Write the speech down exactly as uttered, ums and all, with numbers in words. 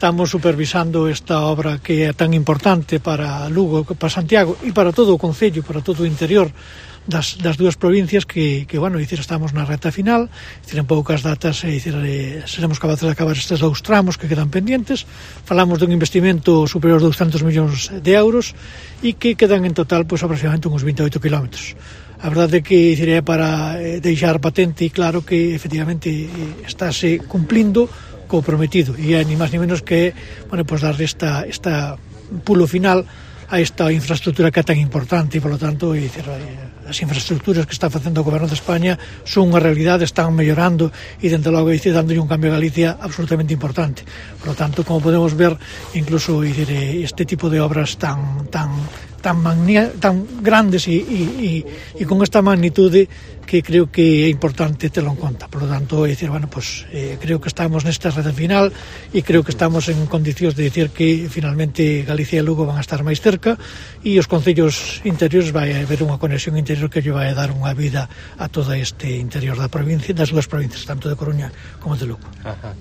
estamos supervisando esta obra que é tan importante para Lugo, para Santiago e para todo o concello, para todo o interior das, das dúas provincias que, que bueno, dicir, estamos na reta final, dicir, en poucas datas e, dicir, eh, seremos capaces de acabar estes dous tramos que quedan pendientes. Falamos dun investimento superior a douscentos millóns de euros e que quedan en total pois, aproximadamente uns vinte e oito kilómetros. A verdade é que dicir, é para eh, deixar patente e claro que efectivamente eh, estáse cumplindo co prometido e é ni máis ni menos que bueno, pues, dar esta, esta pulo final a esta infraestructura que é tan importante e, polo tanto, e, dizer, as infraestructuras que está facendo o Goberno de España son unha realidade, están mellorando e, dende logo, dizer, dándolle un cambio a Galicia absolutamente importante. Por lo tanto, como podemos ver, incluso dizer, este tipo de obras tan tan tan, magnia, tan grandes e, e, e, e con esta magnitude que creo que é importante telo en conta. Por lo tanto, é dicir, bueno, pues, eh, creo que estamos nesta reta final e creo que estamos en condicións de dicir que finalmente Galicia e Lugo van a estar máis cerca e os concellos interiores vai haber unha conexión interior que lle vai dar unha vida a todo este interior da provincia, das dúas provincias, tanto de Coruña como de Lugo. Ajá.